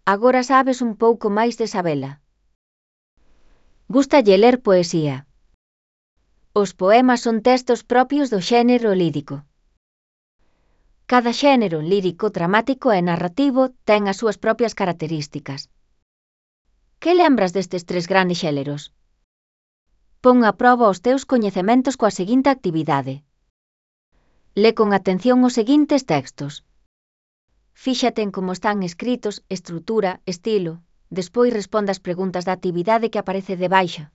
Agora sabes un pouco máis de Sabela. Gústalle ler poesía. Os poemas son textos propios do xénero lírico. Cada xénero lírico, dramático e narrativo ten as súas propias características. Que lembras destes 3 grandes xéneros? Pon a proba os teus coñecementos coa seguinte actividade. Lé con atención os seguintes textos. Fíxate en como están escritos, estrutura, estilo. Despois responda as preguntas da actividade que aparece debaixo.